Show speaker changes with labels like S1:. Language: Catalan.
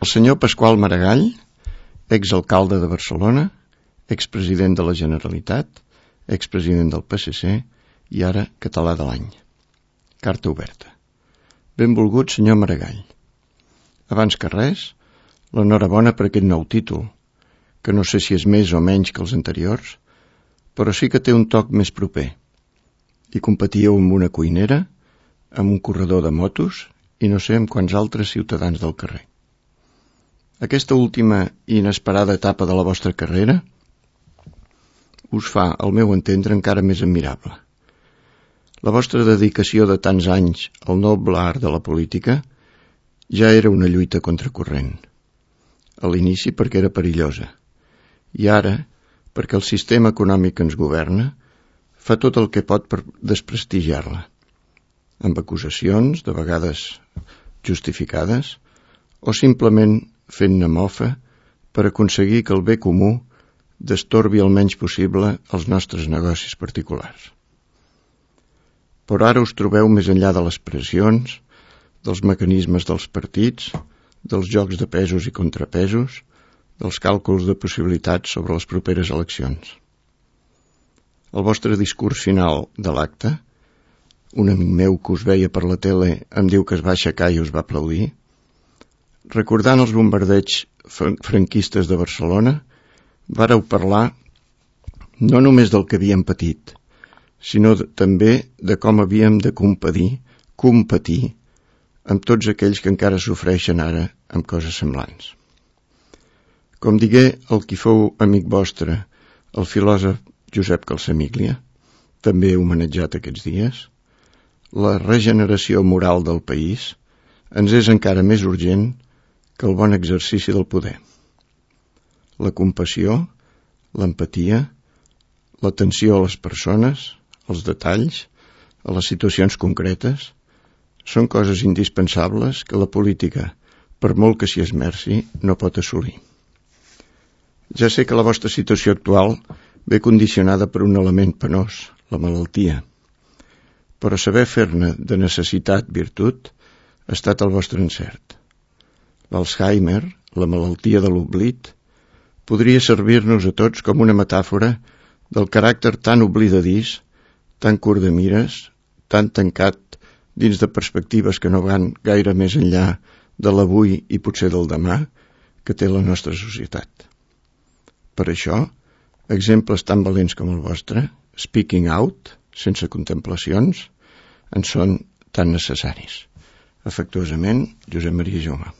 S1: El senyor Pasqual Maragall, exalcalde de Barcelona, expresident de la Generalitat, expresident del PSC i ara català de l'any. Carta oberta. Benvolgut senyor Maragall. Abans que res, l'enhorabona per aquest nou títol, que no sé si és més o menys que els anteriors, però sí que té un toc més proper. I competíeu amb una cuinera, amb un corredor de motos i no sé amb quants altres ciutadans del carrer. Aquesta última i inesperada etapa de la vostra carrera us fa, al meu entendre, encara més admirable. La vostra dedicació de tants anys al noble art de la política ja era una lluita contracorrent. A l'inici perquè era perillosa, i ara perquè el sistema econòmic que ens governa fa tot el que pot per desprestigiar-la, amb acusacions, de vegades justificades, o simplement fent-ne mofa per aconseguir que el bé comú destorbi el menys possible els nostres negocis particulars. Però ara us trobeu més enllà de les pressions, dels mecanismes dels partits, dels jocs de pesos i contrapesos, dels càlculs de possibilitats sobre les properes eleccions. El vostre discurs final de l'acte, un amic meu que us veia per la tele em diu que es va aixecar i us va aplaudir, recordant els bombardeigs franquistes de Barcelona, vàreu parlar no només del que havíem patit, sinó també de com havíem de competir amb tots aquells que encara sofreixen ara amb coses semblants. Com digué el qui fou amic vostre, el filòsof Josep Calsamiglia, també homenatjat aquests dies, la regeneració moral del país ens és encara més urgent que el bon exercici del poder. La compassió, l'empatia, l'atenció a les persones, als detalls, a les situacions concretes, són coses indispensables que la política, per molt que s'hi esmerci, no pot assolir. Ja sé que la vostra situació actual ve condicionada per un element penós, la malaltia, però saber fer-ne de necessitat virtut ha estat el vostre encert. L'Alzheimer, la malaltia de l'oblit, podria servir-nos a tots com una metàfora del caràcter tan oblidadís, tan curt de mires, tan tancat dins de perspectives que no van gaire més enllà de l'avui i potser del demà que té la nostra societat. Per això, exemples tan valents com el vostre, speaking out, sense contemplacions, en són tan necessaris. Afectuosament, Josep Maria Jaume.